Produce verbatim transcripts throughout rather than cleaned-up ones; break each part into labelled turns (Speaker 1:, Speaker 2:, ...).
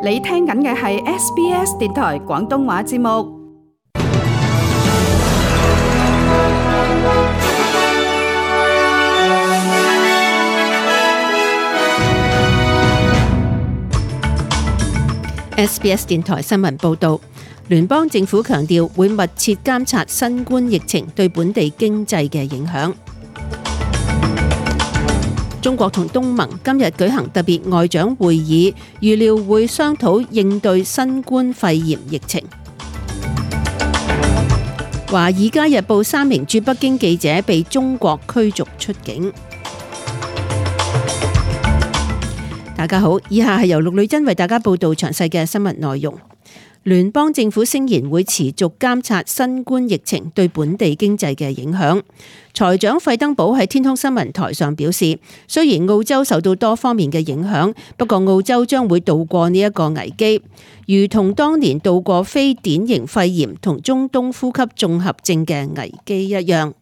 Speaker 1: 你聽緊嘅係 S B S 電台廣東話節目。
Speaker 2: S B S 電台新聞報導，聯邦政府強調會密切監察新冠疫情對本地經濟嘅影響。中國同東盟今日舉行特別外長會議，預料會商討應對新冠肺炎疫情。華爾街日報三名駐北京記者被中國驅逐出境。大家好，以下係由陸女珍為大家報道詳細嘅新聞內容。聯邦政府聲言會持續監察新冠疫情對本地經濟嘅影響。財長費登堡喺天空新聞台上表示，雖然澳洲受到多方面嘅影響，不過澳洲將會渡過呢一個危機，如同當年渡過非典型肺炎同中東呼吸綜合症嘅危機一樣。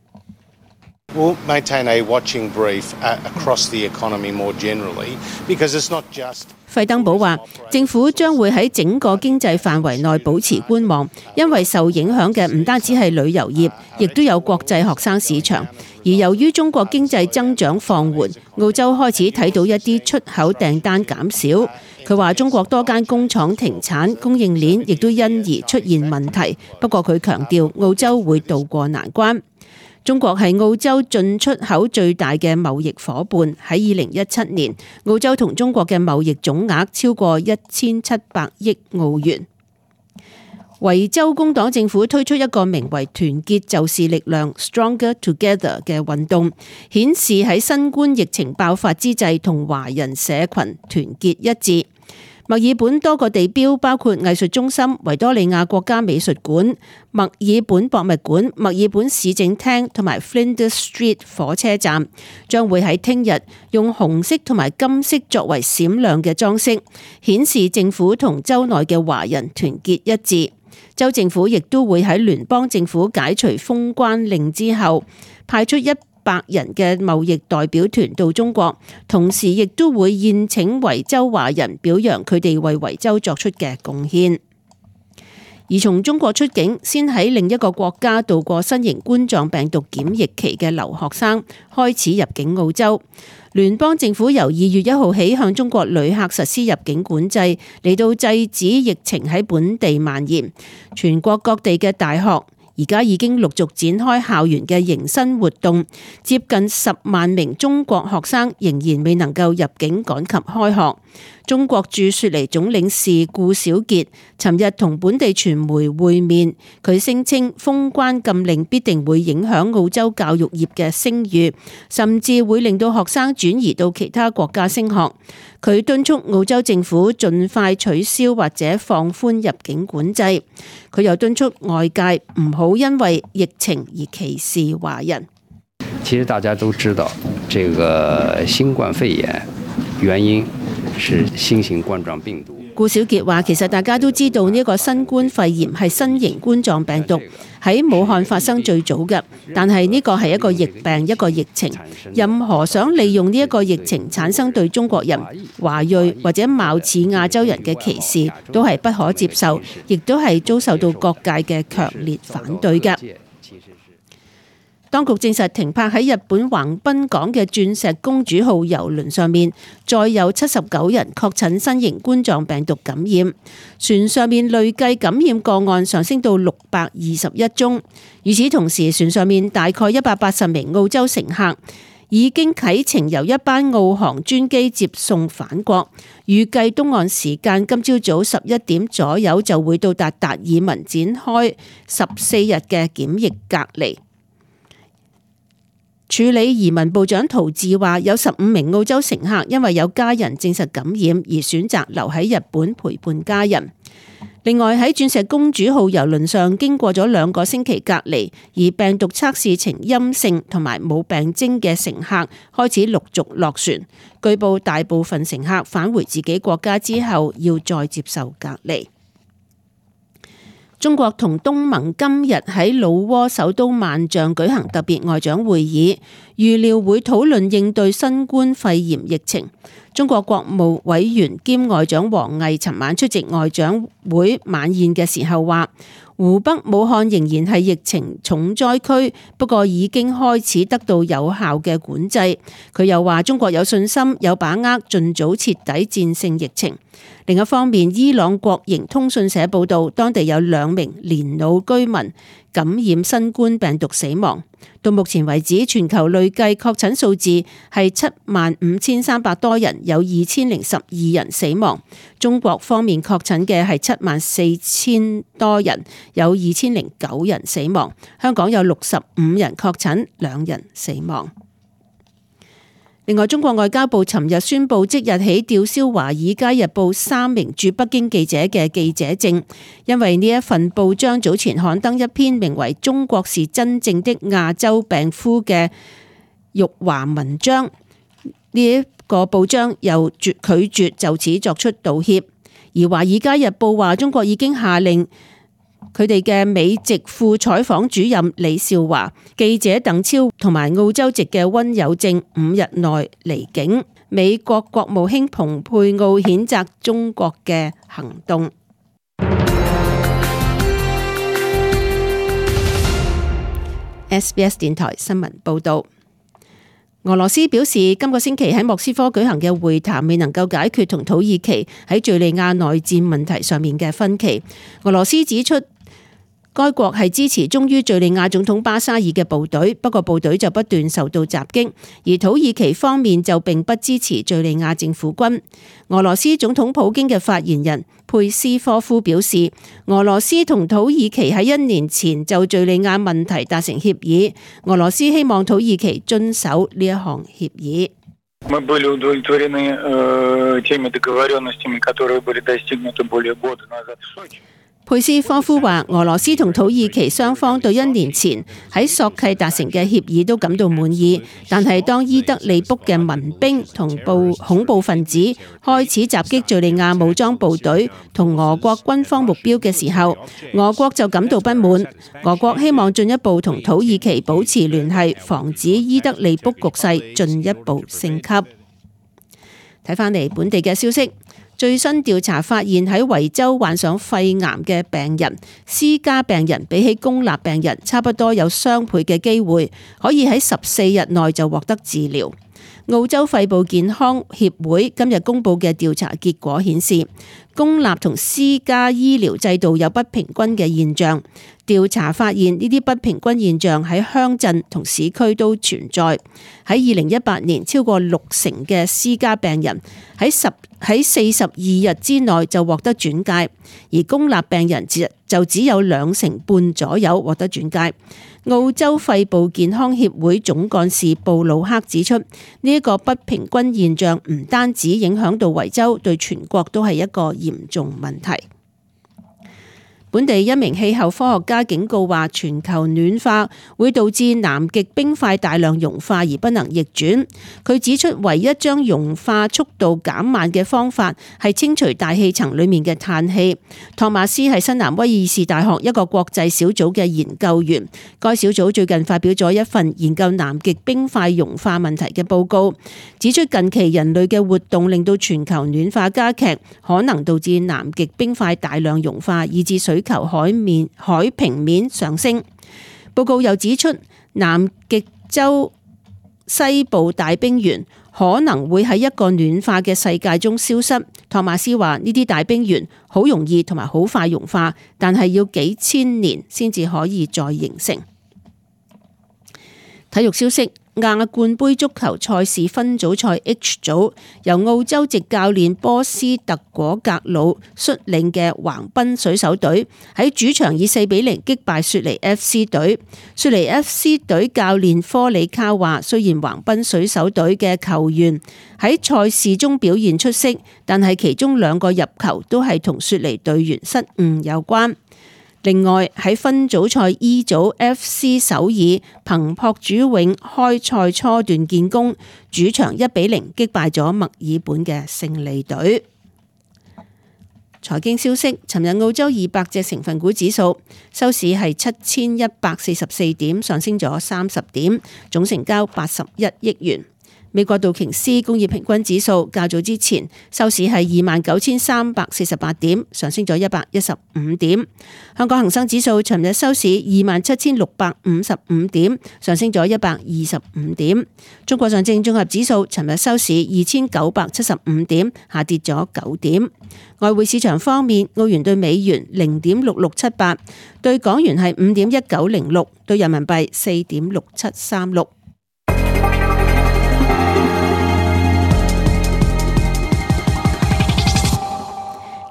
Speaker 3: We'll maintain a watching brief across the economy more generally, because it's not just.
Speaker 2: 費登堡話，政府將會喺整個經濟範圍內保持觀望，因為受影響嘅唔單止係旅遊業，亦都有國際學生市場。而由於中國經濟增長放緩，澳洲開始睇到一啲出口訂單減少。佢話中國多間工廠停產，供應鏈亦都因而出現問題。不過佢強調澳洲會渡過難關。中國係澳洲進出口最大嘅貿易夥伴，喺二零一七年，澳洲同中國嘅貿易總額超過一千七百億澳元。維州工黨政府推出一個名為團結就是力量 Stronger Together 嘅運動，顯示喺新冠疫情爆發之際同華人社群團結一致。墨爾本多個地標，包括藝術中心、維多利亞國家美術館、墨爾本博物館、墨爾本市政廳同埋 Flinders Street 火車站，將會喺聽日用紅色同埋金色作為閃亮嘅裝飾，顯示政府同州內嘅華人團結一致。州政府亦都會喺聯邦政府解除封關令之後，派出一百人嘅貿易代表團到中國，同時亦都會宴請維州華人，表揚佢哋為維州作出嘅貢獻。而從中國出境，先喺另一個國家度過新型冠狀病毒檢疫期嘅留學生開始入境澳洲。聯邦政府由二月一號起向中國旅客實施入境管制，嚟到制止疫情喺本地蔓延。全國各地嘅大學而家已經陸續展開校園嘅迎新活動，接近十萬名中國學生仍然未能夠入境趕及開學。中國駐雪梨總領事顧小傑尋日同本地傳媒會面，佢聲稱封關禁令必定會影響澳洲教育業嘅聲譽，甚至會令到學生轉移到其他國家升學。佢敦促澳洲政府盡快取消或者放寬入境管制。佢又敦促外界唔好因為疫情而歧視華人。
Speaker 4: 其實大家都知道，這個新冠肺炎原因是新型冠狀病毒。
Speaker 2: 顧小傑話，其實大家都知道呢個新冠肺炎係新型冠狀病毒，喺武漢發生最早嘅，但係呢個係一個疫病，一個疫情。任何想利用呢一個疫情產生對中國人、華裔或者貌似亞洲人嘅歧視，都係不可接受，亦都係遭受到各界嘅強烈反對嘅。當局證實停泊喺日本橫濱港嘅鑽石公主號郵輪上面，再有七十九人確診新型冠狀病毒感染，船上面累計感染個案上升到六百二十一宗。與此同時，船上面大概一百八十名澳洲乘客已經啟程由一班澳航專機接送返國，預計東岸時間今朝早十一點左右就會到達達爾文，展開十四日嘅檢疫隔離。處理移民部長陶治話，有十五名澳洲乘客因為有家人證實感染而選擇留喺日本陪伴家人。另外喺鑽石公主號郵輪上經過咗兩個星期隔離，而病毒測試呈陰性同埋冇病徵嘅乘客開始陸續落船。據報大部分乘客返回自己國家之後要再接受隔離。中國同東盟今日喺老撾首都萬象舉行特別外長會議，預料會討論應對新冠肺炎疫情。中國國務委員兼外長王毅尋晚出席外長會晚宴嘅時候話，湖北武漢仍然係疫情重災區，不過已經開始得到有效嘅管制。佢又話中國有信心、有把握盡早徹底戰勝疫情。另一方面，伊朗國營通訊社報道，當地有兩名年老居民感染新冠病毒死亡。到目前為止，全球累計確診數字係七萬五千三百多人，有二千零十二人死亡。中國方面確診嘅係七萬四千多人，有二千零九人死亡。香港有六十五人確診，兩人死亡。另外，中國外交部尋日宣布，即日起吊銷《華爾街日報》三名駐北京記者嘅記者證，因為呢一份報章早前刊登一篇名為《中國是真正的亞洲病夫》嘅辱華文章，呢一個報章又絕拒絕就此作出道歉。而《華爾街日報》話，中國已經下令佢哋嘅美籍副採訪主任李少華、記者鄧超同埋澳洲籍嘅溫有正五日內離境。美國國務卿蓬佩奧譴責中國嘅行動。S B S 電台新聞報道。俄羅斯表示，今個星期喺莫斯科舉行嘅會談未能夠解決同土耳其喺敘利亞內戰問題上面嘅分歧。俄羅斯指出，該國係支持忠於敘利亞總統巴沙爾嘅部隊，不過部隊就不斷受到襲擊，而土耳其方面就並不支持敘利亞政府軍。俄羅斯總統普京嘅發言人佩斯科夫表示，俄羅斯同土耳其喺一年前就敘利亞問題達成協議，俄羅斯希望土耳其遵守呢一項協議。
Speaker 5: Мы были удовлетворены теми договоренностями, которые были достигнуты более года назад в Сочи。
Speaker 2: 佩斯科夫話，俄羅斯同土耳其雙方對一年前喺索契達成嘅協議都感到滿意，但係當伊德利卜嘅民兵同暴恐怖分子開始襲擊敘利亞武裝部隊同俄國軍方目標嘅時候，俄國就感到不滿。俄國希望進一步同土耳其保持聯繫，防止伊德利卜局勢進一步升級。睇返嚟本地嘅消息。最新調查發現，喺維州患上肺癌嘅病人，私家病人比起公立病人差不多有雙倍嘅機會可以喺十四日內就獲得治療。澳洲肺部健康協會今日公布嘅調查結果顯示，公立同私家醫療制度有不平均嘅現象。調查發現呢啲不平均現象喺鄉鎮同市區都存在。喺二零一八年，超過六成嘅私家病人喺十喺四十二日之內就獲得轉介，而公立病人就只有兩成半左右獲得轉介。澳洲肺部健康協會總幹事布魯克指出，呢、這、一個不平均現象唔單止影響到維州，對全國都係一個嚴重問題。本地一名氣候科學家警告話，全球暖化會導致南極冰塊大量融化而不能逆轉。佢指出，唯一將融化速度減慢嘅方法係清除大氣層裡面嘅碳氣。托馬斯係新南威爾士大學一個國際小組嘅研究員，該小組最近發表咗一份研究南極冰塊融化問題嘅報告，指出近期人類嘅活動令到全球暖化加劇，可能導致南極冰塊大量融化，以致水球海面海平面上升。報告又指出，南極洲西部大冰原可能會喺一個暖化嘅世界中消失。托馬斯話，呢啲大冰原好容易同埋好快融化，但係要幾千年先至可以再形成。體育消息。亞冠盃足球賽事分組賽 H 組，由澳洲籍教練波斯特果格魯率領嘅橫濱水手隊喺主場以四比零擊敗雪梨 F C 隊。雪梨 F C 隊教練科里卡話，雖然橫濱水手隊嘅球員喺賽事中表現出色，但係其中兩個入球都係同雪梨隊員失誤有關。另外喺分組賽 E 組 F C 首爾憑朴主永開賽初段建功，主場一比零擊敗咗墨爾本嘅勝利隊。財經消息，尋日澳洲二百隻成分股指數收市係七千一百四十四點，上升咗三十點，總成交八十一億元。美國道瓊斯工業平均指數較早之前收市係二萬九千三百四十八點，上升咗一百一十五點。香港恒生指數尋日收市二萬七千六百五十五點，上升咗一百二十五點。中國上證綜合指數尋日收市二千九百七十五點，下跌咗九點。外匯市場方面，澳元對美元零點六六七八，對港元係五點一九零六，對人民幣四點六七三六。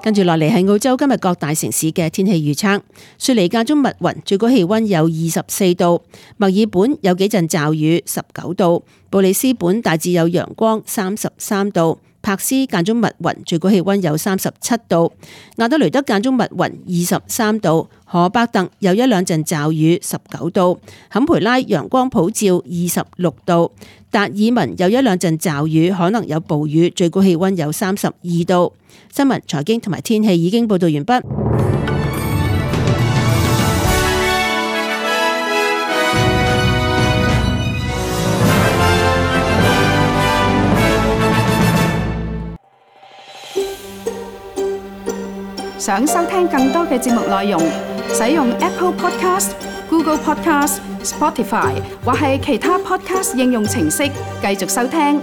Speaker 2: 跟住落嚟係澳洲今日各大城市嘅天氣預測。雪梨間中密雲，最高氣溫有二十四度；墨爾本有幾陣驟雨，十九度；布里斯本大致有陽光，三十三度；柏斯間中密雲，最高氣溫有三十七度；亞德雷德間中密雲，二十三度；荷伯特有一兩陣驟雨，十九度；坎培拉陽光普照，二十六度；達爾文有一兩陣驟雨，可能有暴雨，最高氣溫有三十二度。新聞、財經同埋天氣已經報道完畢。
Speaker 1: 想收聽更多嘅節目內容，使用 Apple Podcast、Google Podcast、Spotify 或係其他 Podcast 應用程式繼續收聽。